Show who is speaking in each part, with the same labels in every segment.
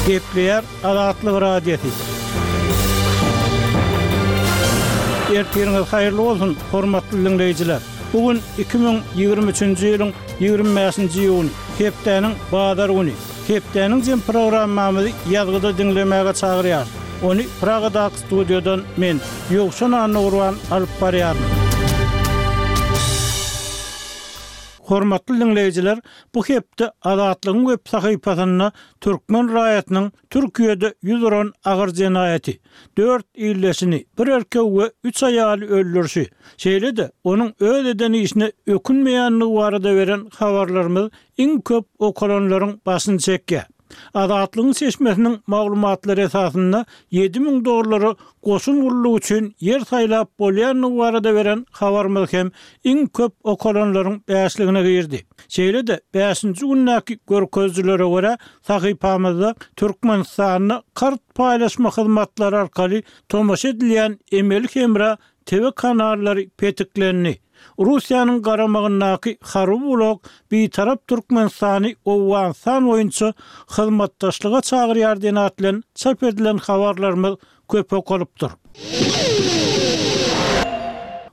Speaker 1: Gepleýär Azatlyk Radiosy. Ertiriňiz haýyrly bolsun, hormatly diňleýjiler! Bu gün 2023-nji ýylyň 25-nji iýuny, hepdäniň bazar güni. Hepdäniň jem programmamyzy ýazgyda diňlemäge çagyrýarys. Ony Pragadaky studiýadan men, Ýowşan Annagurban alyp barýaryn. Hormatly diňleýjiler, bu hepde Azatlygyň web sahypasynda türkmen raýatynyň Türkiýede ýüz uran agyr jenaýaty, dört ildeşini, bir erkegi we üç aýaly öldürişi, şeýle-de onuň öz eden işine ökünmeýändigi barada beren habarlarymyz iň köp okalanlaryň başyny çekýär. Azatlygyň çeşmesiniň maglumatlary esasynda 7000 dollara goşun gullugy üçin ýer saýlap bolýandygy barada beren habarymyz hem iň köp okalanlaryň bäşligine girdi. Şeýle-de, bäşinji gündäki görkezijilere görä, sahypamyzda Türkmenistanda kart paýlaşma hyzmatlary arkaly tomaşa edilýän emeli hemra TV kanallary petiklendi. Russiýanyň garamagyndaky harby blok Bitarap Türkmenistany Owganystan boýunça hyzmatdaşlyga çagyrýar diýen at bilen çap edilen habarlarymyz köp okalypdyr.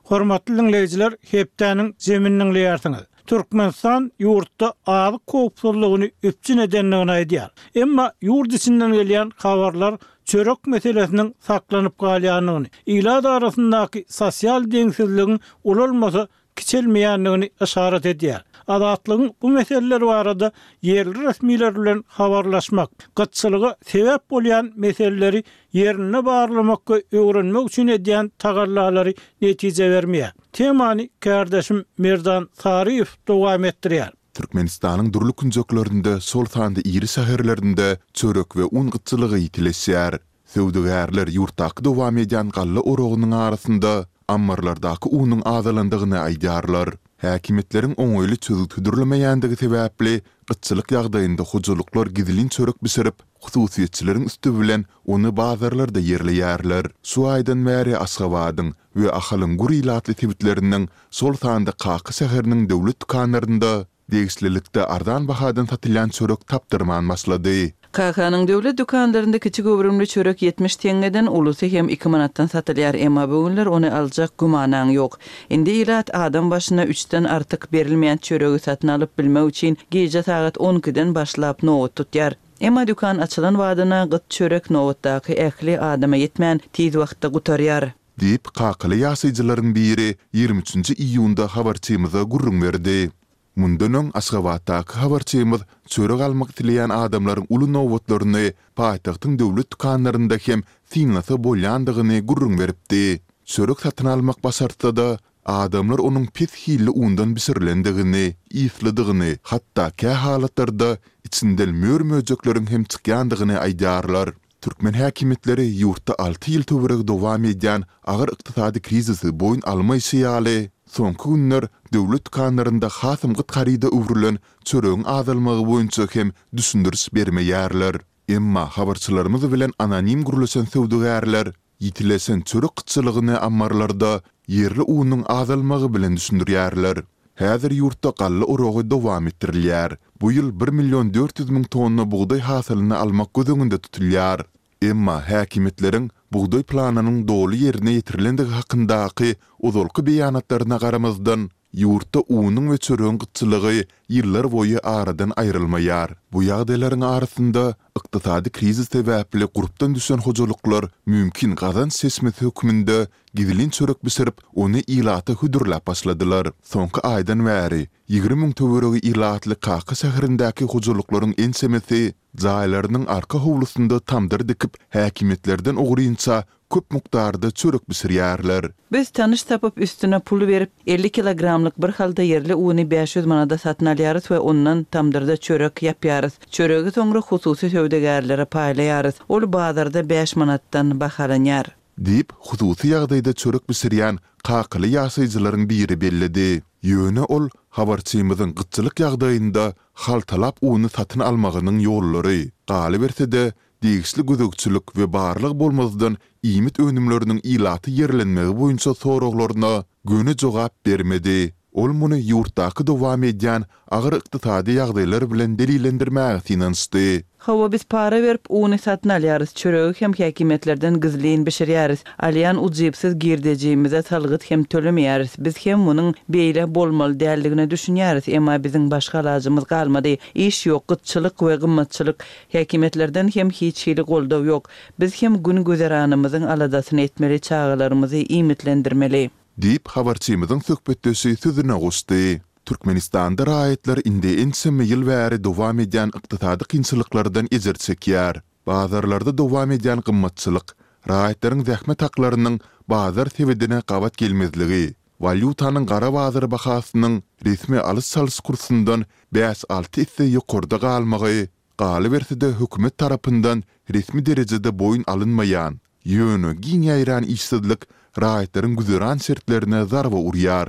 Speaker 1: Hormatly diňleýjiler, hepdäniň jemini diňleýärsiňiz. Türkmenistan ýurtda azyk howpsuzlygyny üpjün edendigini aýdýar. Emma ýurt içinden gelýän habarlar çörek meselesiniň saklanyp galýandygyny, ilat arasyndaky sosial deňsizligiň ulalmasa kiçelmeýändigini yşarat edýär. Azatlygyň bu meseleler barada ýerli resmiler bilen habarlaşmak, gytçylyga sebäp bolýan meseleleri ýerinde barlamak we öwrenmek üçin edýän tagallalary netije bermeýär. Temany kärdeşim Merdan Saryýew dowam etdirýär.
Speaker 2: Türkmenistanyň dürli künjeklerinde, şol sanda iri şäherlerinde çörek we un gytçylygy ýitileşýär. Söwdagärler ýurtdaky dowam edýän galla oragynyň arasynda ammarlardaky unuň azalandygyny aýdýarlar. Häkimiýetleriň oňaýly çözgüt hödürlemeýändigi sebäpli, gytçylyk ýagdaýynda hojalyklar gizlin çörek bişirip, hususyýetçileriň üsti bilen ony bazarlarda ýerleýärler. Şu aýdan bäri Aşgabadyň we Ahalyň gür ilatly sebitleriniň, şol sanda Kaka şäheriniň döwlet dükanlarynda degişlilikde arzan bahadan satylýan çörek tapdyrman başlady.
Speaker 3: Kakanyň döwlet dükanlarynda kiçi göwrümli çörek 70 teňňeden, ulusy hem iki manatdan satylýar, emma bu günler ony aljak gümanaň ýok. Indi ilat adam başyna üçden artyk berilmeýän çöregi satyn alyp bilmek üçin gije sagat on ikiden başlap nobat tutýar. Emma dükan açylan badyna gyt çörek nobatdaky ähli adama ýetmän, tiz wagtda gutarýar.
Speaker 2: Diýip, kakaly ýaşaýjylaryň biri 23 nji iýunda habarçymyza gürrüň berdi. Mundan öň, Aşgabatdaky habarçymyz çörek almak isleýän adamlaryň uly nobatlaryny paýtagtyň döwlet dükanlarynda hem synlasa bolýandygyny gürrüň beripdi. Çörek satyn almak başartsa-da, adamlar onuň pes hilli undan bişirilendigini, yslydygyny, hatda kä halatlarda içinden mör-möjekleriň hem çykýandygyny aýdýarlar. Türkmen häkimiýetleri ýurtda alty ýyl töweregi dowam edýän agyr ykdysady krizisi boýun almaýşy ýaly, soňky günler döwlet dükanlarynda hasam gyt haryda öwrülen çöregiň azalmagy boýunça hem düşündiriş bermeýärler. Emma habarçylarymyz bilen anonim gürleşen söwdagärler ýitileşen çörek gytçylygyny ammarlarda ýerli unuň azalmagy bilen düşündirýärler. Häzir ýurtda galla oragy dowam etdirilýär. Bu ýyl bir million 400 müň tonna bugdaý hasylyny almak göz öňünde tutulýar. Emma häkimiýetleriň bugdaý planynyň doly ýerine ýetirilendigi hakyndaky ozalky beýanatlaryna garamazdan, ýurtda unuň we çöregiň gytçylygy ýyllarboýy aradan aýrylmaýar. Bu ýagdaýlaryň arasynda, ykdysady krizis sebäpli gurpdan düşen hojalyklar mümkin gazanç çeşmesi hökmünde gizlin çörek bişirip, ony ilata hödürläp başladylar. Soňky aýdan bäri 20 müň töweregi ilatly Kaka şäherindäki hojalyklaryň ençemesi jaýlarynyň arka howlusynda tamdyr dikip, häkimiýetlerden ogrynça köp mukdarda çörek bişirýärler.
Speaker 3: Biz tanyş tapyp, üstüne pul berip, 50 kilogramlyk bir halta ýerli uny 500 manada satyn alýarys we ondan tamdyrda çörek ýapýarys. Çöregi soňra hususy söwdagärlere paýlaýarys. Ol bazarda bäş manatdan bahalanýar.
Speaker 2: Diýip, hususy ýagdaýda çörek bişirýän kakaly ýaşaýjylaryň biri belledi. Ýöne ol habarçymyzyň gytçylyk ýagdaýynda haltalap uny satyn almagynyň ýollary, galyberse-de, degişli gözegçilik we barlag bolmazdan iýmit önümleriniň ilata ýerlenmegi boýunça soraglaryna göni jogap bermedi. Ol muny ýurtdaky dowam edýän agyr ykdysady ýagdaýlar bilen delillendirmäge synanyşdy.
Speaker 3: Hawa, biz para berip, uny satyn alýarys, çöregi hem häkimiýetlerden gizlin bişirýäris. Alýan ujypsyz girdejimize salgyt hem tölemeýäris. Biz hem munuň beýle bolmaly däldigine düşünýäris, emma biziň başga alajymyz galmady. Iş ýok, gytçylyk we gymmatçylyk. Häkimiýetlerden hem hiç hili goldaw ýok. Biz hem gün-güzeranymyzyň aladasyny etmeli, çagalarymyzy iýmitlendirmeli.
Speaker 2: Diýip, habarçymyzyň söhbetdeşi sözüne goşdy. Türkmenistanda raýatlar indi ençeme ýyl bäri dowam edýän ykdysady kynçylyklardan ejir çekýär. Bazarlarda dowam edýän gymmatçylyk, raýatlaryň zähmet haklarynyň bazar sebedine gabat gelmezligi, walýutanyň gara bazar bahasynyň resmi alyş-çalyş kursundan bäş-alty esse ýokarda galmagy, galyberse-de hökümet tarapyndan resmi derejede boýun alynmaýan, ýöne giň ýaýran işsizlik raýatlaryň güzeran şertlerine zarba urýar.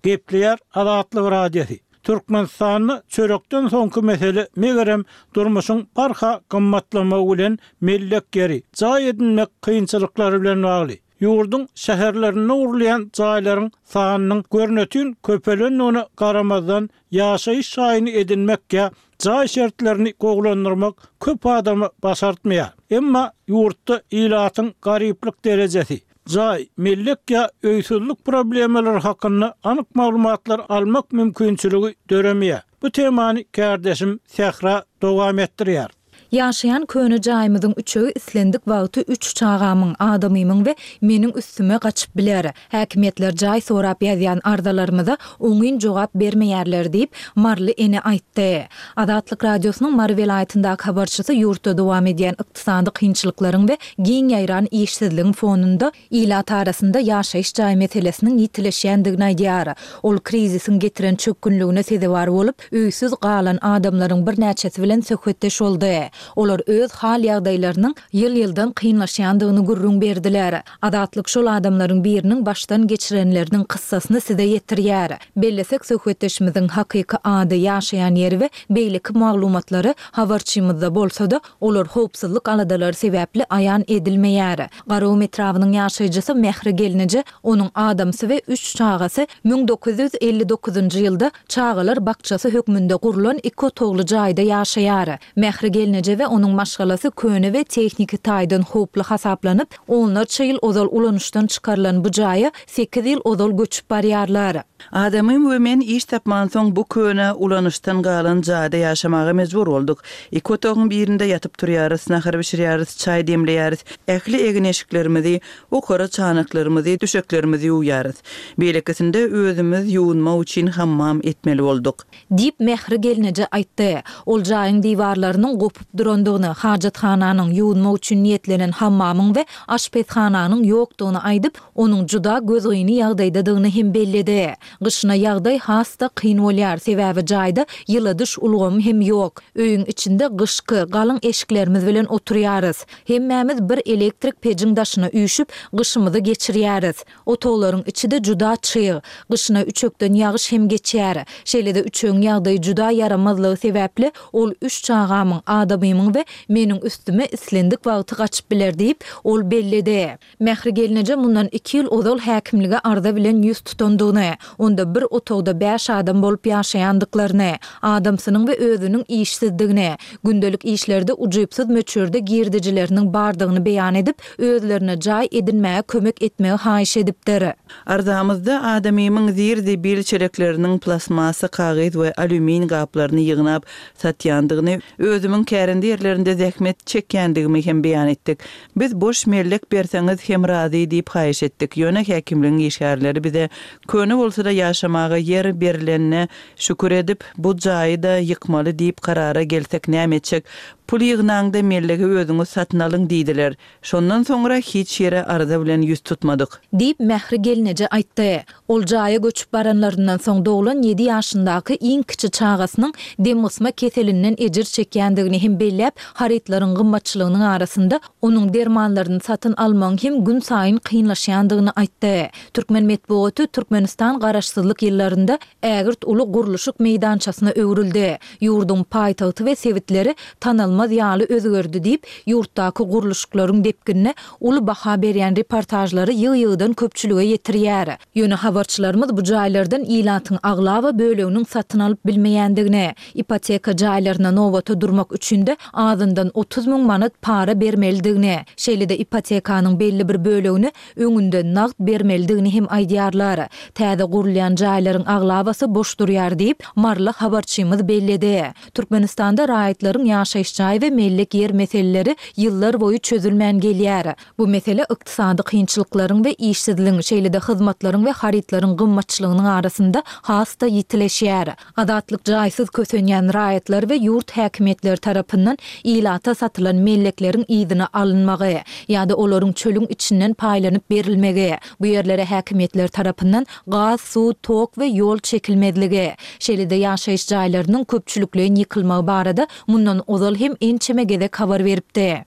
Speaker 1: Gepleýär Azatlyk Radiosy. Türkmenistanda çörekden soňky mesele megerem durmuşyň barha gymmatlamagy bilen mellek ýeri, jaý edinmek kynçylyklary bilen bagly. Ýurduň şäherlerinde gurulýan jaýlaryň sanynyň görnetin köpelendigine garamazdan, ýaşaýyş jaýyny edinmek ýa jaý şertlerini gowulandyrmak köp adama başartmaýar. Emma ýurtda ilatyň garyplyk derejesi, jaý, mellek ýa öýsüzlik problemalary hakynda anyk maglumatlar almak mümkinçiligi döremeýär. Bu temany kärdeşim Sähra dowam etdirýär.
Speaker 4: Ýaşaýan köne jaýymyzyň üçegi islendik wagty üç çagamyň, adamymyň we meniň üstüme gaçyp biler. Häkimiýetler jaý sorap ýazýan arzalarymyza oňyn jogap bermeýärler diýip, maryly ene aýtdy. Azatlyk Radiosynyň Mary welaýatyndaky habarçysy ýurtda dowam edýän ykdysady kynçylyklaryň we giň ýaýran işsizligiň fonunda ilat arasynda ýaşaýyş jaý meselesiniň ýitileşýändigini aýdýar. Ol krizisiň getiren çökgünligine sezewar bolup, öýsüz galan adamlaryň birnäçesi bilen söhbetdeş boldy. Olar öz hal-ýagdaýlarynyň ýyl-ýyldan kynlaşýandygyny gürrüň berdiler. Azatlyk şol adamlaryň biriniň başdan geçirenleriniň kyssasyny size ýetirýär. Bellesek, söhbetdeşimiziň hakyky ady, ýaşaýan ýeri we beýleki maglumatlary habarçymyzda bolsa-da, olar howpsuzlyk aladalary sebäpli aýan edilmeýär. Garagum etrabynyň ýaşaýjysy Mähri gelneje, onuň adamsy we üç çagasy 1959-njy ýylda çagalar bakjasy hökmünde gurlan iki otagly jaýda ýaşaýar. Mähri gelneje we onuň maşgalasy köne we tehniki taýdan howply hasaplanyp, onlarça ýyl ozal ulanyşdan çykarylan bu jaýa sekiz ýyl ozal göçüp barýarlar.
Speaker 3: Adamym we men iş tapmansoň bu köne, ulanyşdan galan jaýda ýaşamaga mejbur bolduk. Iki otagyň birinde ýatyp turýarys, nahar bişirýäris, çaý demleýäris, ähli egin-eşiklerimizi, okara çanaklarymyzy, düşeklerimizi ýuwýarys. Beýlekisinde özümiz ýuwunmak üçin hammam etmeli bolduk.
Speaker 4: Diýip, Mähri gelneje aýtdy. Ol jaýyň diwarlarynyň gopup durandygyny, hajathananyň, ýuwunmak üçin niýetlenen hammamyň we aşpezhananyň ýokdugyny aýdyp, onuň juda gözgyny ýagdaýdadygyny hem belledi. Gyşyna ýagdaý has-da kyn bolýar, sebäbi jaýda ýyladyş ulgamy hem ýok. Öýüň içinde gyşky, galyň eşiklerimiz bilen oturýarys. Hemmämiz bir elektrik pejiň daşyna üýşüp, gyşymyzy geçirýäris. Otaglaryň içi-de juda çyg. Gyşyna üçekden ýagyş hem geçýär. Şeýle-de üçegiň ýagdaýy juda ýaramazlygy sebäpli, ol üç çagamyň, adamymyň we meniň üstüme islendik wagty gaçyp biler diýip, ol belledi. Mähri gelneje mundan iki ýyl ozal häkimlige arza bilen ýüz tutandygyny, onda bir otagda bäş adam bolup ýaşaýandyklaryny, adamsynyň we özüniň işsizdigini, gündelik işlerde ujypsyz möçberde girdejileriniň bardygyny beýan edip, özlerine jaý edinmäge kömek etmegi haýyş edipdir.
Speaker 3: Arzamyzda adamymyň zir-zibil çelekleriniň plastmassa, kagyz we alýumin gaplaryny ýygnap satýandygyny, özümiň kärende ýerlerinde zähmet çekýändigimi hem beýan etdik. Biz boş mellek berseňiz hem razy diýip haýyş etdik. Ýöne häkimligiň işgärleri bize köne bolsa-da ýaşamaga ýer berlenine şükür edip, bu jaýy-da ýykmaly diýip karara gelsek näme etjek? Pul ýygnaňda mellegi özüňiz satyn alyň diýdiler. Şondan soňra hiç ýere arza bilen ýüz tutmadyk.
Speaker 4: Diýip, Mähri gelneje aýtdy. Ol jaýa göçüp baranlaryndan soň doglan ýedi ýaşyndaky iň kiçi çagasynyň demgysma keselinden ejir çekýändigini hem belläp, harytlaryň gymmatçylygynyň arasynda onuň dermanlaryny satyn almagyň hem günsaýyn kynlaşýandygyny aýtdy. Türkmen metbugaty Türkmenistan. garaşsyzlyk ýyllarynda ägirt uly gurluşyk meýdançasyna öwrüldi. Ýurduň paýtagty we sebitleri tanalmaz ýaly özgerdi diýip, ýurtdaky gurluşyklaryň depginine uly baha berýän reportažlary ýygy-ýygydan köpçülige ýetirýär. Ýöne habarçylarymyz bu jaýlardan ilatyň aglaba böleginiň satyn alyp bilmeýändigini, ipoteka jaýlaryna nobata durmak üçin-de azyndan 30 müň manat para bermelidigini, şeýle-de ipotekanyň belli bir bölegini öňünden nagt bermelidigini hem aýdýarlar. Täze gurulýan jaýlaryň aglabasy boş durýar diýip, maryly habarçymyz belledi. Türkmenistanda raýatlaryň ýaşaýyş jaý we mellek ýer meseleleri ýyllar boýy çözülmän gelýär. Bu mesele ykdysady kynçylyklaryň we işsizligiň, şeýle-de hyzmatlaryň we harytlaryň gymmatçylygynyň arasynda has-da ýitileşýär. Azatlyk jaýsyz kösenýän raýatlar we ýurt häkimiýetleri tarapyndan ilata satylan mellekleriň yzyna alynmagy ýa-da olaryň çölüň içinden paýlanyp berilmegi, bu ýerlere häkimiýetler tarapyndan gaz, suw, tok we ýol çekilmezligi, şeýle-de ýaşaýyş jaýlarynyň köpçülikleýin ýykylmagy barada mundan ozal hem ençeme gezek habar beripdi.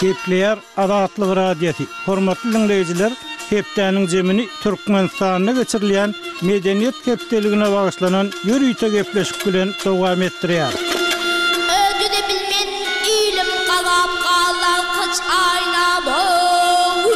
Speaker 1: Gepleýär Azatlyk Radiosy, Hormatly diňleýjiler, hepdäniň jemini Türkmenistanda geçirilýän Medeniýet hepdeligine bagyşlanan ýörite gepleşik bilen dowam etdirýär.
Speaker 5: Özi-de bilmen ilim gazap galdy alkaç aýnam-ow.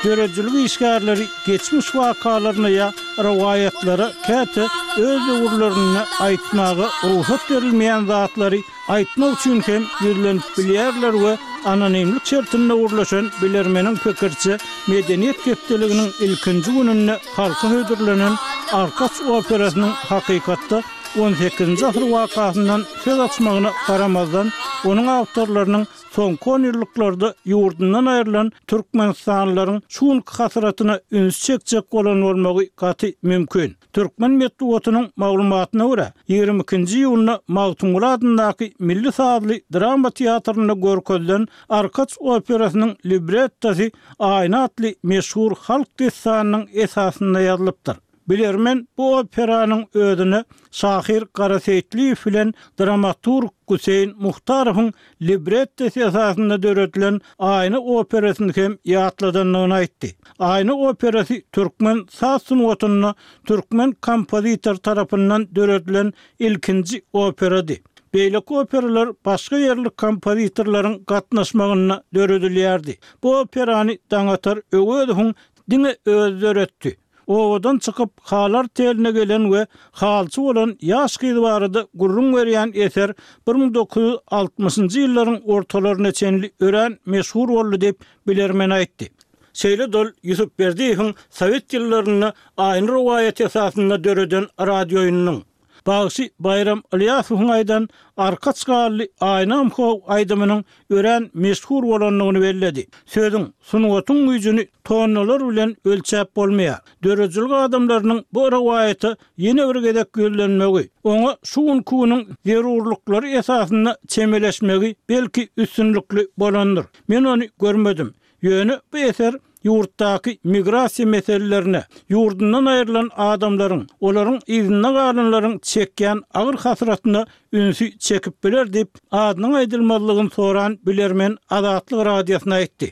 Speaker 1: Döredijilik işgärleri geçmiş wakalaryna ýa rowaýatlara käte öz döwürlerinde aýtmaga rugsat berilmeýän zatlary aýtmak üçin hem ýüzlenip bilýärler we anonimlik şertinde gürleşen bilermeniň pikiriçe, Medeniýet hepdeliginiň ilkinji gününde halka hödürlenen Arkaç operasynyň hakykatda on sekizinji asyr wakasyndan söz açmagyna garamazdan, onuň awtorlarynyň soňky onýyllyklarda ýurdundan aýrylan türkmenistanlylaryň şu günki hasratyna üns çekjek bolan bolmagy gaty mümkin. Türkmen metbugatynyň maglumatyna görä, 22-nji iýunda Magtymguly adyndaky Milli sazly drama teatrynda görkezilen Arkaç operasynyň librettosy Aýna atly meşhur halk dessanynyň esasynda ýazylypdyr. Bilermen bu operanyň özüne şahyr Gara Seýitliýew bilen dramaturg Guseýn Muhtarowyň librettosy esasynda döredilen Aýna operasyny hem ýatladandygyny aýtdy. Aýna operasy türkmen saz sungatynda türkmen kompozitory tarapyndan döredilen ilkinji operady. Beýleki operalar başga ýerli kompozitorlaryň gatnaşmagynda döredilýärdi. Bu operany Daňatar Öwezowyň diňe özi döretdi. Obadan çykyp, haly arteline gelen we halyçy bolan ýaş gyz barada gürrüň berýän eser 1960-njy ýyllaryň ortalaryna çenli örän meşhur boldy diýip, bilermen aýtdy. Şeýle-de ol Ýusup Berdiýewiň sowet ýyllarynda Aýna rowaýaty esasynda döreden radiooýnunyň, Bagşy Baýram Ylýasowyň aýdan Arkaç garly aýnam how aýdymynyň örän meşhur bolandygyny belledi. Sözüň, sungatyň güýjüni tonnalar bilen ölçäp bolmaýar. Döredijilik adamlarynyň bu rowaýata ýene bir gezek ýüzlenmegi, oňa şu günki günüň zerurlyklary esasynda çemeleşmegi belki üstünlikli bolandyr. Men ony görmedim. Ýöne bu eser ýurtdaky migrasiýa meselelerine, ýurdundan aýrylan adamlaryň, olaryň yzynda galanlaryň çekýän agyr hasratyna ünsi çekip biler diýip, adynyň aýdylmazlygyny soran bilermen Azatlyk Radiosyna aýtdy.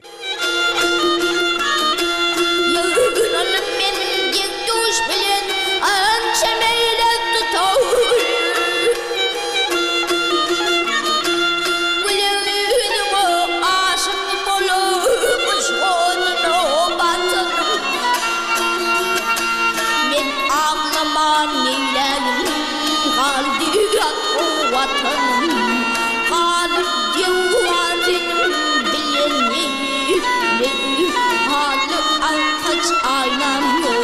Speaker 5: Ýygnanyp men deň-duş bilen ança meýle tutaý. Gülen ýüzüňe aşyk bolup yşk oduna batanym. Men aglaman neýläýin galdy ýat Watanym. Galyp döwran seniň bilen neýläýin haly arkaç aýnam ýok.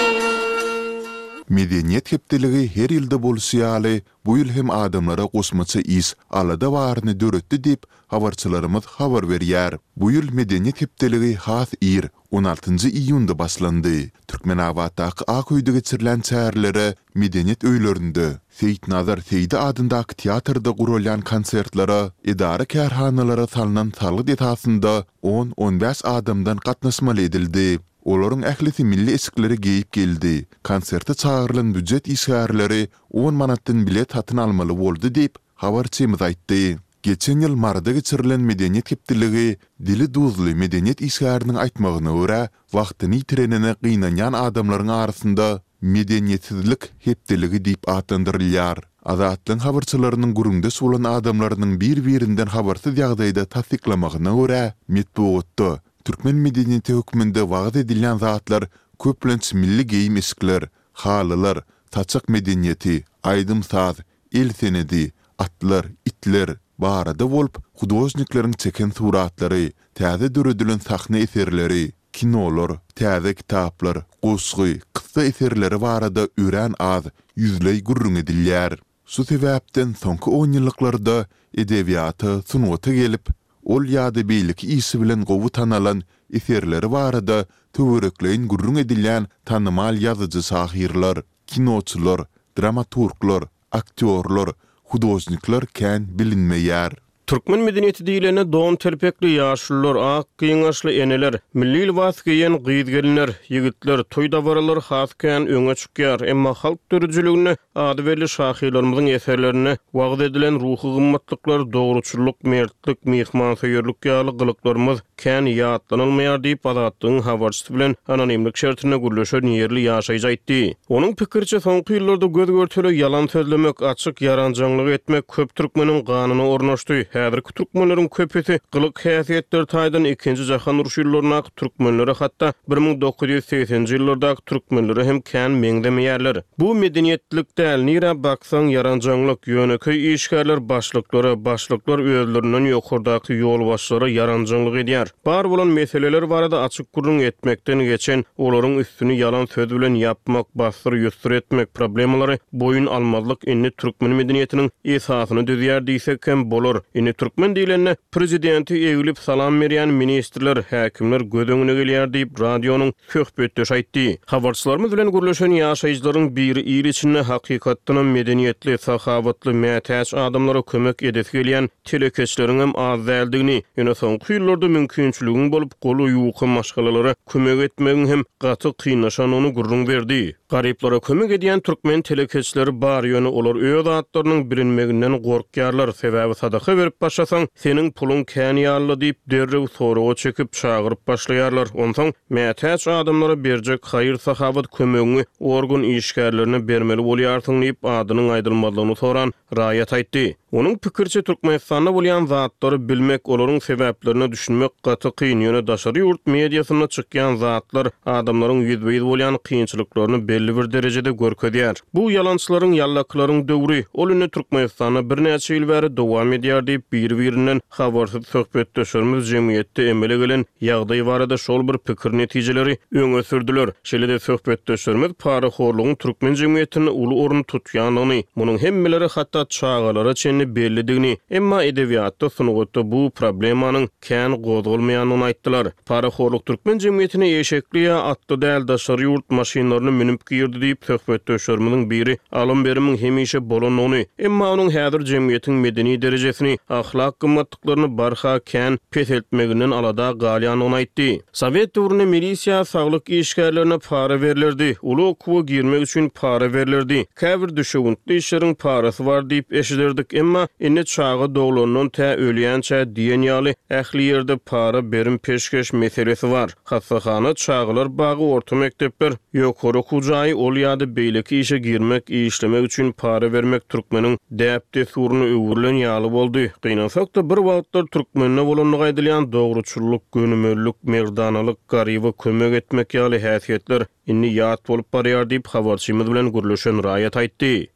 Speaker 2: Medeniýet hepdeligi her ýylda bolşy ýaly, bu ýyl hem adamlara goşmaça iş, alada baryny döretdi diýip, habarçylarymyz habar berýär. Bu ýyl Medeniýet hepdeligi has ir, on altynjy iýunda başlandy. Türkmenabatdaky Ak öýde geçirilen çärelere medeniýet öýlerinde, Seýitnazar Seýdi adyndaky teatrda guralýan konsertlere edara-kärhanalara salnan salgyt esasynda on-on bäş adamdan gatnaşmaly edildi. Olaryň ählisi milli eşikleri geýip geldi. Konserte çagyrylan býujet işgärleri on manatdan bilet satyn almaly boldy diýip, habarçymyz aýtdy. Geçen ýyl Maryda geçirilen Medeniýet hepdeligi dili duzly medeniýet işgäriniň aýtmagyna görä, wagtyny ýitirenine gynanýan adamlaryň arasynda Medeniýetsizlik hepdeligi diýip atlandyrylýar. Azatlygyň habarçylarynyň gürrüňdeş bolan adamlarynyň bir-birinden habarsyz ýagdaýda tassyklamagyna görä, metbugatda türkmen medeniýeti hökmünde wagyz edilýän zatlar köplenç milli geýim-eşikler, halylar, saçak medeniýeti, aýdym-saz, el senedi, atlar, itler barada bolup, hudožnikleriň çeken suratlary, täze döredilen sahna eserleri, kinolar, täze kitaplar, goşgy, kyssa eserleri barada örän az, ýüzleý gürrüň edilýär. Şu sebäpden soňky onýyllyklarda edebiýata, sungata gelip, ol ýa-da beýleki işi bilen gowy tanalan, eserleri barada töwerekleýin gürrüň edilýän tanymal ýazyjy-şahyrlar, kinoçylar, dramaturglar, aktýorlar, hudožnikler kän bilinmeýär.
Speaker 6: Türkmen medeniýeti diýlende don telpekli ýaşulular, ak gyňaçly eneler, milli lybas geýen gyz-gelinler, ýigitler, toý-dabaralar has kän öňe çykýar. Emma halk döredijiliginde ady belli şahyrlarymyzyň eserlerinde wagyz edilen ruhy gymmatlyklar, dogruçyllyk, mertlik, myhmansöýerlik ýaly gylyklarymyz kän ýatlanylmaýar diýip, Azatlygyň habarçysy bilen anonimlik şertinde gürleşen ýerli ýaşaýjy aýtdy. Onuň pikiriçe, soňky ýyllarda göz-görtele ýalan sözlemek, açyk ýaranjaňlyk etmek köp türkmeniň ganyna ornaşdy. Häzirki türkmenleriň köpüsi gylyk-häsiýetleri taýdan Ikinji jahan urşy ýyllaryndaky türkmenlere, hatda 1980-nji ýyllardaky türkmenlere hem kän meňzemeýärler. Bu medeniýetlilik däl, nirä baksaň ýaranjaňlyk, ýönekeý işgärler başlyklara, başlyklar özlerinden ýokardaky ýolbaşçylara ýaranjaňlyk edýär. Bar bolan meseleler barada açyk gürrüň etmekden geçen, olaryň üstüni ýalan söz bilen ýapmak, bassyr-ýussur etmek, problemalary boýun almazlyk indi türkmen medeniýetiniň esasyny düzýär diýsek hem bolar. Indi türkmen diýlende, prezidenti eglip salam berýän ministrler, häkimler göz öňüne gelýär diýip, radionyň söhbetdeş aýtdy. Habarçylarymyz bilen gürleşen ýaşaýjylaryň biri il içinde hakykatdanam medeniýetli, sahawatly, mätäç adamlara kömek edesi gelýän telekeçileriňem az däldigini, ýöne soňky ýyllarda mümkinçiligiň bolup, goly ýuka maşgalalara kömek etmegiň hem gaty kynlaşandygyny gürrüň berdi. Garyplara kömek edýän türkmen telekeçileri bar, ýöne olar öz atlarynyň bilinmeginden gorkýarlar, sebäbi sadaka berip başlasaň, seniň puluň kän ýaly-la diýip, derrew soraga çekip, çagyryp başlaýarlar. Onsoň, mätäç adamlara berjek haýyr-sahawat kömegiňi organ işgärlerine bermeli bolýarsyň diýip, adynyň aýdylmazlygyny soran raýat aýtdy. Onuň pikiriçe, Türkmenistanda bolýan zatlary bilmek, olaryň sebäplerine düşünmek gaty kyn, ýöne daşary ýurt mediasynda çykýan zatlar adamlaryň ýüzbe-ýüz bolýan kynçylyklaryny belli bir derejede görkezýär. Bu ýalançylaryň, ýallakylaryň döwri, ol indi Türkmenistanda birnäçe ýyl bäri dowam edýär diýip, biri-birinden habarsyz söhbetdeşlerimiz jemgyýetde emele gelen ýagdaý barada şol bir pikir-netijeleri öňe sürdüler. Şeýle-de söhbetdeşlerimiz parahorlugyň türkmen jemgyýetinde uly orun tutýandygyny, munuň hemmelere, hatda çagalara çenli bellidigini, emma edebiýatda, sungatda bu problemanyň kän gozgalmaýandygyny aýtdylar. Parahorluk türkmen jemgyýetine eşekli ýa atly däl daşary ýurt maşynlaryny münüp girdi diýip, söhbetdeşlerimiziň biri alym-berimiň hemişe bolandygyny, emma onuň häzir jemgyýetiň medeni derejesini, ahlak gymmatlyklaryny barha kän peseltmeginden alada galýandygyny aýtdy. Sowet döwründe milisiýa, saglyk işgärlerine para berlerdi, uly okuwa girmek üçin para berlerdi, käbir düşewüntli işleriň parasy bar diýip eşiderdik, emma indi çaga doglandan tä ölýänçä diýen ýaly ähli ýerde para berim-peşgeş meselesi bar. Hassahana, çagalar bagy, orta mekdepler, ýokary okuw jaýy, ol ýa-da beýleki işe girmek, işlemek üçin para bermek türkmeniň däp-dessuryna öwrülen ýaly boldy. Gynansak-da, bir wagtlar türkmende bolandygy aýdylýan dogruçyllyk, gönümellik, merdanalyk, garyba kömek etmek ýaly häsiýetler indi ýat bolup barýar diýip, habarçymyz bilen gürleşen raýat aýtdy.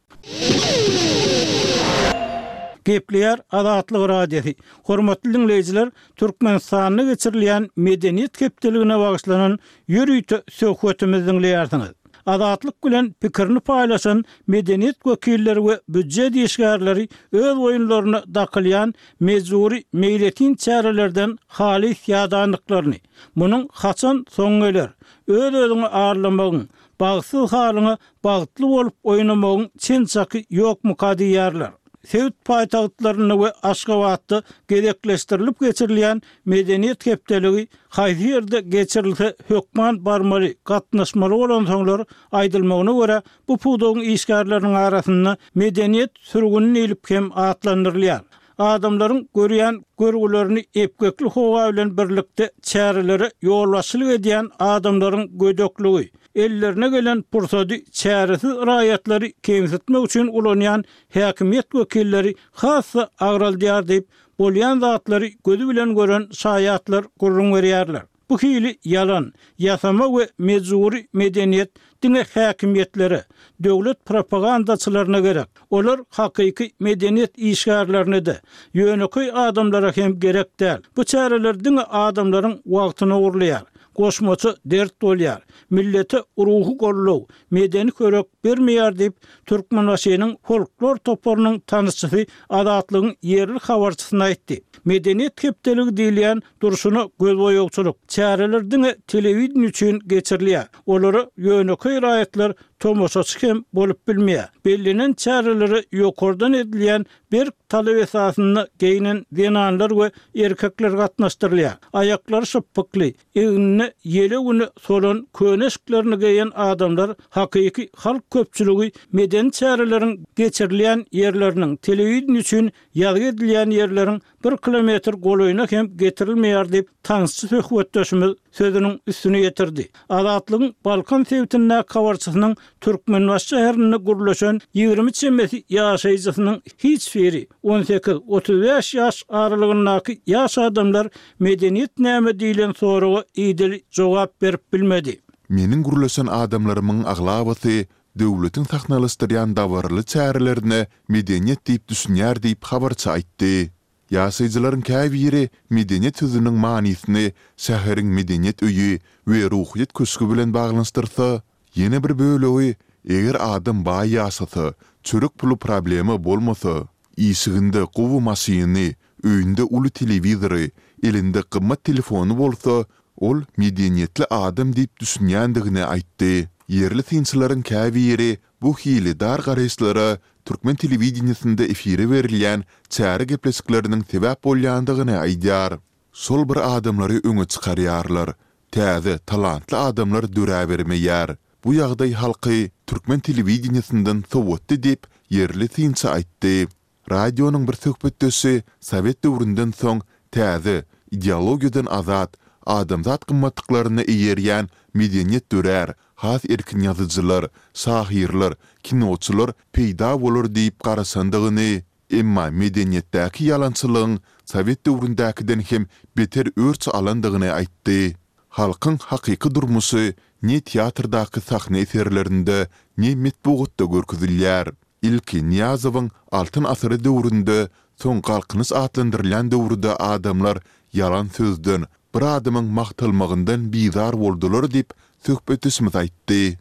Speaker 1: Gepleýär Azatlyk Radiosy. Hormatly diňleýjiler, Türkmenistanda geçirilýän Medeniýet hepdeligine bagyşlanan ýörite söhbetimizi diňleýärsiňiz. Azatlyk bilen pikirini paýlaşan medeniýet wekilleri we býujet işgärleri öz boýunlaryna dakylýan mejbury meýletin çärelerden halys ýadandyklaryny, munuň haçan soňy geler, öz-özüňi aldamagyň, bagtsyz halyňa bagtly bolup oýnamagyň çen-çaky ýokmuka diýýärler. Sebit paýtagtlarynda we Aşgabatda gezekleşdirilip geçirilýän Medeniýet hepdeligi haýsy ýerde geçirilse hökman barmaly, gatnaşmaly bolansoňlar, aýdylmagyna görä, bu pudagyň işgärleriniň arasynda medeniýet sürgüni diýlip hem atlandyrylýar. Adamlaryň görýän görgülerini epgekli howa bilen birlikde çärelere ýolbaşçylyk edýän adamlaryň gödekligi, ellerine gelen pursady çäresiz raýatlary kemsitmek üçin ulanýan häkimiýet wekilleri has-da agraldýar diýip, bolýan zatlary gözi bilen gören şaýatlar gürrüň berýärler. Bu hili ýalan, ýasama we mejbury medeniýet diňe häkimiýetlere, döwlet propagandaçylaryna gerek. Olar hakyky medeniýet işgärlerine-de, ýönekeý adamlara hem gerek däl. Bu çäreler diňe adamlaryň wagtyny ogurlaýar, goşmaça dert bolýar, millete ruhy goldaw, medeni hörek bermeýär diýip, Türkmenbaşynyň folklor toparynyň tanyşçysy Azatlygyň ýerli habarçysyna aýtdy. Medeniýet hepdeligi diýilýän durşuna gözboýagçylyk çäreler diňe telewideniýe üçin geçirilýär. Olara ýönekeý raýatlar tomaşaçy hem bolup bilmeýär. Bellenen çärelere ýokardan edilýän berk talap esasynda geýnen zenanlar we erkekler gatnaşdyrylýar. Aýaklary şypbykly, Egnine ýele-güne solan köne eşiklerini geýen adamlar hakyky halk köpçüligi medeni çäreleriň geçirilýän ýerleriniň, telewideniýe üçin ýazgy edilýän ýerleriň bir kilometr golaýyna hem getirilmeýär diýip, tansçy söhbetdeşimiz sözüniň üstüni ýetirdi. Azatlygyň Balkan sebitindäki habarçysynyň Türkmenbaşy şäherinde gürleşen 20 çemesi ýaşaýjysynyň hiç biri, 18, 35 ýaş aralygyndaky ýaş adamlar Medeniýet näme diýlen soraga idili jogap berip bilmedi.
Speaker 2: Meniň gürleşen adamlarymyň aglabasy döwletiň sahnalaşdyrýan dabaraly çärelerine medeniýet diýip düşünýär diýip habarçy aýtdy. Ýaşaýjylaryň käbiri medeniýet sözüniň manysyny şäheriň medeniýet öýi we ruhyýet köşgi bilen baglanyşdyrsa, ýene bir bölegi eger adam baý ýaşasa, çörek puly problema bolmasa, Işiginde gowy maşyny, öýünde uly telewizory, elinde gymmat telefony bolsa, ol medeniýetli adam diýip düşünýändigini aýtdy. Ýerli synçylaryň käbiri bu hili dar garaýyşlara türkmen telewideniýesinde efire berilýän çäre gepleşikleriniň sebäp bolýandygyny aýdýar. Şol bir adamlary öňe çykarýarlar. Täze, talantly adamlar döräbermeýär. Bu ýagdaý halky türkmen telewideniýesinden sowatdy diýip, ýerli synçy aýtdy. Radionyň bir söhbetdeşi sowet döwründen soň täze, ideologiýadan azat, adamzat gymmatlyklaryna eýerýän medeniýet dörär, has erkin ýazyjylar, şahyrlar, kinoçylar peýda bolar diýip garaşandygyny, emma medeniýetdäki ýalançylygyň sowet döwründäkiden hem beter örç alandygyny aýtdy. Halkyň hakyky durmuşy ne teatrdaky sahna eserlerinde, ne metbugatda görkezilýär. Ilki Nyýazowyň Altyn asyry döwründe, soň Galkynyş atlandyrylýan döwürde adamlar ýalan sözden, bir adamyň magtalmagyndan bizar boldular diýip, söhbetdeşimiz aýtdy.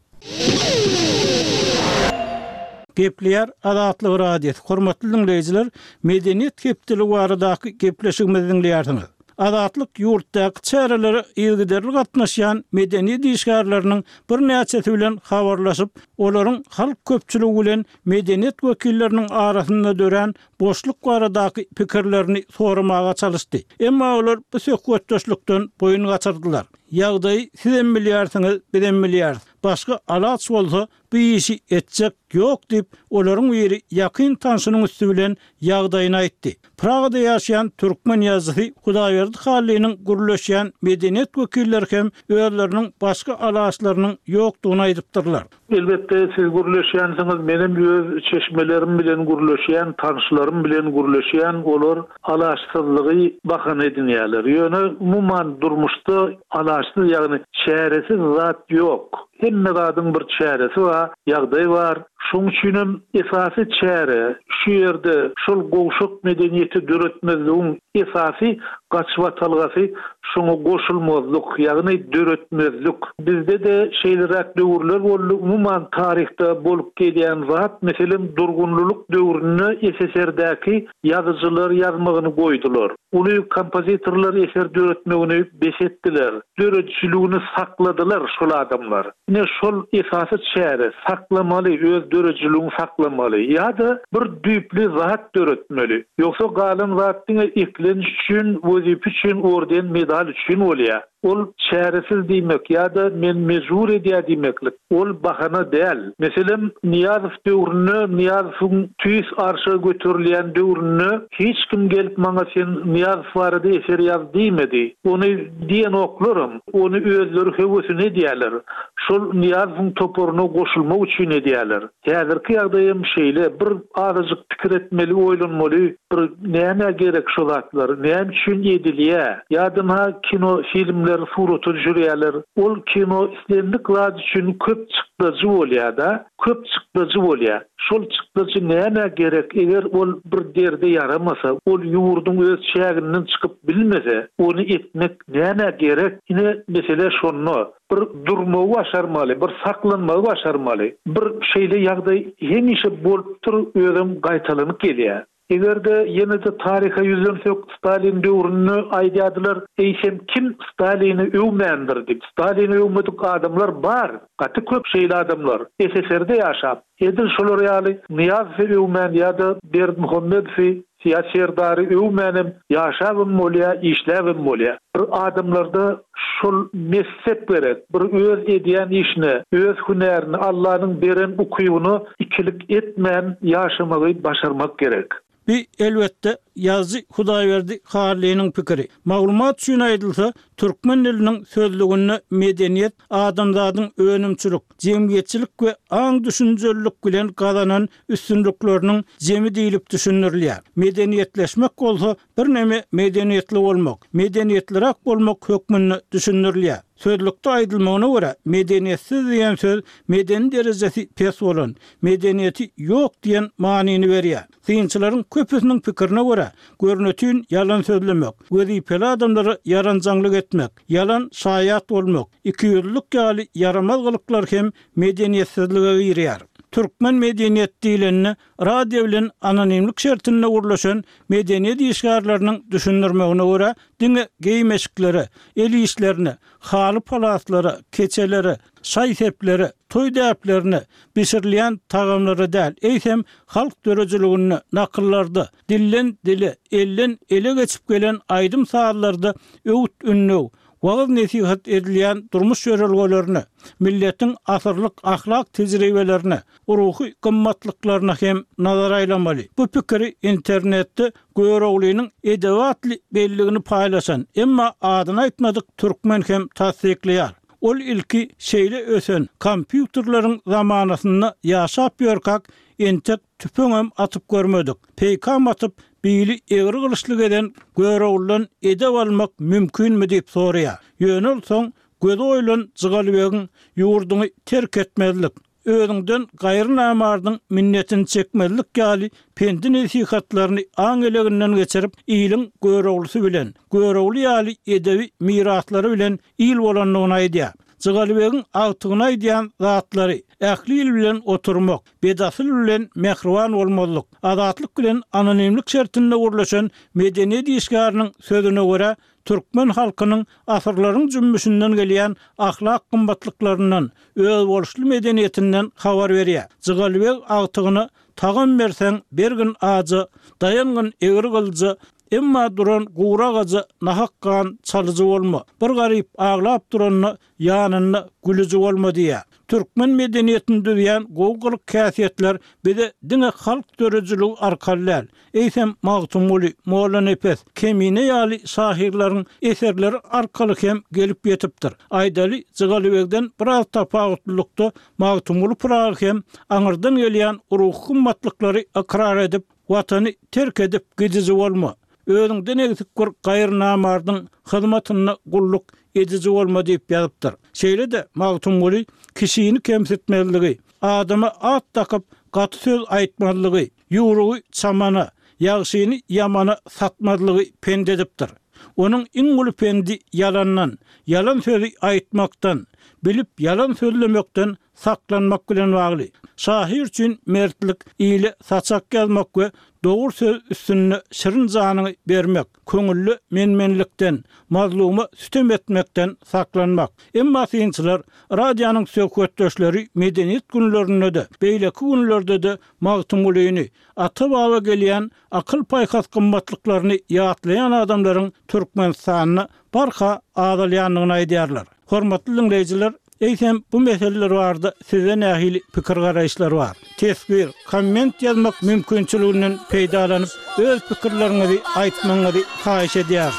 Speaker 1: Gepleýär Azatlyk Radiosy, Hormatly diňleýjiler, Medeniýet hepdeligi baradaky gepleşigimizi diňleýärsiňiz. Azatlyk ýurtdaky çärelere yzygiderli gatnaşýan medeniýet işgärleriniň birnäçesi bilen habarlaşyp, olaryň halk köpçüligi bilen medeniýet wekilleriniň arasynda dörän boşluk baradaky pikirlerini soramaga çalyşdy. Emma olar bu söhbetdeşlikden boýun gaçyrdylar. Ýagdaýy sizem bilýärsiňiz, bizem bilýäris. Başga alaç bolsa, bu işi etjek ýok diýip, olaryň biri ýakyn tanşynyň üsti bilen ýagdaýyny aýtdy. Pragada ýaşaýan türkmen ýazyjysy Hudaýberdi Hallynyň gürleşýän medeniýet wekilleri hem özleriniň başga alaçlarynyň ýokdugyny aýdypdyrlar.
Speaker 7: Elbetde, siz gürleşýänsiňiz, menem öz çeşmelerim bilen gürleşýän, tanyşlarym bilen gürleşýän, olar alaçsyzlygy bahana edinýärler. Ýöne, umuman, durmuşda alaçsyz, ýagny çäresiz zat ýok. Hemme zadyň bir çäresi bar, ýagdaý bar. Şoň üçinem esasy çäre şu ýerde şol gowşak medeniýeti döretmezligiň esasy gaçybatalgasy şoňa goşulmazlyk, ýagny döretmezlik. Bizde-de şeýleräk döwürler boldy, umuman taryhda bolup gelýän zat, meselem, durgunlylyk döwründe SSR-däki ýazyjylar ýazmagyny goýdular. Uly kompozitorlar eser döretmegini bes etdiler. Döredijiligini sakladylar şol adamlar. Ine şol esasy çäre, saklamaly, öz döredijiligiňi saklamaly ýa-da bir düýpli zat döretmeli. Ýogsa galan zat diňe eklenç üçin, wezipe üçin, orden, medal üçin bolýar. Ol çäresiz diýmek ýa-da men mejbur edýär diýmeklik, ol bahana däl. Meselem, Nyýazow döwründe, Nyýazowyň tüýs arşa göterilýän döwründe hiç kim gelip maňa sen Nyýazow barada eser ýaz diýmedi. Ony diýenoklaram. Ony özleri höwesine edýärler. Şol Nyýazowyň toparyna goşulmak üçin edýärler. Häzirki ýagdaýam şeýle, bir azajyk pikir etmeli, oýlanmaly, bir nämä gerek şo zatlar, näme üçin edilýä? Ýa-da ynha kino filmleri surata düşürýärler, ol kino islendik zat üçin köp çykdajy bolýa-da, köp çykdajy bolýa. Şol çykdajy nämä gerek, eger ol bir derde ýaramasa, ol ýurduň öz çäginden çykyp bilmese, ony etmek nämä gerek? Ine mesele şonda. Bir durmagy başarmaly, bir saklanmagy başarmaly. Bir şeýle ýagdaý hemişe bolupdyr, özem gaýtalanyp gelýär. Eger-de ýene-de taryha ýüzlensek, Stalin döwründe aýdýardylar, eýsem kim Stalini öwmändir diýip. Stalini öwmedik adamlar bar, gaty köp şeýle adamlar, SSR-de ýaşap. Edil şolar ýaly Nyýazowy öwmän ýa-da Berdimuhamedowy Ýa Serdary öwmänem ýaşabam bolýa, işläbem bolýa. Bir adamlarda şol messep gerek, bir öz edýän işine, öz hünärine, Allanyň beren ukybyna ikilik etmän ýaşamagy başarmak gerek.
Speaker 1: Bi, elbetde, ýazyjy Hudaýberdi Hallynyň pikiri. Maglumat üçin aýdylsa, türkmen diliniň sözlüginde medeniýet adamzadyň önümçilik, jemgyýetçilik we aň-düşünjelilik bilen gazanan üstünlikleriniň jemi diýlip düşündirilýär. Medeniýetleşmek bolsa birneme medeniýetli bolmak, medeniýetliräk bolmak hökmünde düşündirilýär. Sözlükde aýdylmagyna görä, medeniýetsiz diýen söz medeni derejesi pes bolan, medeniýeti ýok diýen manyny berýär. Synçylaryň köpüsiniň pikirine görä, görnetin ýalan sözlemek, wezipeli adamlara ýaranjaňlyk etmek, ýalan şaýat bolmak, ikiýüzlülik ýaly ýaramaz gylyklar hem medeniýetsizlige girýär. Türkmen medeniýet diýlende, radio bilen anonimlik şertinde gürleşen medeniýet işgärleriniň düşündirmegine görä, diňe geýim-eşiklere, el işlerine, haly-palaslara, keçelere, şaý-seplere, toý däplerine, bişirilýän tagamlara däl, eýsem, halk döredijiliginde, nakyllarda, dilden-dile, elden ele geçip gelen aýdym-sazlarda öwüt-ündew, wagyz-nesihat edilýän durmuş ýörelgelerine, milletiň asyrlyk ahlak tejribelerine, ruhy gymmatlyklaryna hem nazar aýlamaly. Bu pikiri internetde Göroglynyň edebi atly belligini paýlaşan, emma adyny aýtmadyk türkmen hem tassyklaýar. Ol ilki şeýle ösen kompýuterleriň zamanasynda ýaşap ýörkäk, entek tüpeňem atyp görmedik, peýkam atyp, bili egri gylyçly gezen Göroglydan edep almak mümkinmi diýip soraýar. Ýöne ol soň gözi oýulan Jygalybegiň ýurduňy terk etmezlik, özüňden gaýry namardyň minnetini çekmezlik ýaly pendi-nesihatlaryny aň eleginden geçirip, iliň Göroglysy bilen, Görogly ýaly edebi miraslary bilen il bolandygyny aýdýar. Jygalybegiň agtygyna aýdýan zatlary, ähli il bilen oturmak, bedasyl bilen mähriban bolmazlyk, Azatlyk bilen anonimlik şertinde gürleşen medeniýet işgäriniň sözüne görä, türkmen halkynyň asyrlaryň jümmüşinden gelýän ahlak gymmatlyklaryndan, özboluşly medeniýetinden habar berýär. Jygalybeg agtygyna Tagam berseň, bergin aja, daýangyn egri gylyja, emma duran gury agaja nahak gan çalyjy bolma. Bir garyp aglap duranda ýanynda gülüji bolma diýýär. Türkmen medeniýetini düzýän gowy gylyk-häsiýetler bize diňe halk döredijiligi arkaly däl, eýsem Magtymguly, Mollanepes, Kemine ýaly şahyrlaryň eserleri arkaly hem gelip ýetipdir. Aýdaly, Jygalybegden biraz tapawutlylykda Magtymguly Pyragy hem aňyrdan gelýän ruhy gymmatlyklary ykrar edip, Watany terk edip gidiji bolma, özüňden egsik bir gaýry namardyň hyzmatynda gulluk ediji bolma diýip ýazypdyr. Şeýle-de Magtymguly kişini kemsitmezligi, adama at dakyp gaty söz aýtmazlygy, ýüwrügi çamana, ýagşyny ýamana satmazlygy pent edipdir. Onuň iň uly pendi ýalandan, ýalan sözi aýtmakdan, bilip ýalan sözlemekden saklanmak bilen bagly. Şahyr üçin mertlik, ile saçak ýazmak we dogry söz üstünde şirin janyňy bermek, köňülle men-menlikden, mazluma sütem etmekden saklanmak. Emma synçylar, radionyň söhbetdeşleri medeniýet günlerinde-de, beýleki günlerde-de Magtymgulyny, ata-baba gelýän akyl-paýhas gymmatlyklaryny ýatlaýan adamlaryň Türkmenistanda. barha azalýandygyny aýdýarlar. Hormatly diňleýjiler, eýsem bu meseleler barada sizde nähili pikir-garaýyşlar bar? Teswir, komment ýazmak mümkinçiliginden peýdalanyp, öz pikirleriňizi aýtmagyňyzy haýyş edýäris.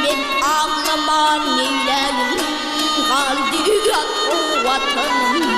Speaker 5: Men aglaman neýläýin, Galdy ýat Watanym.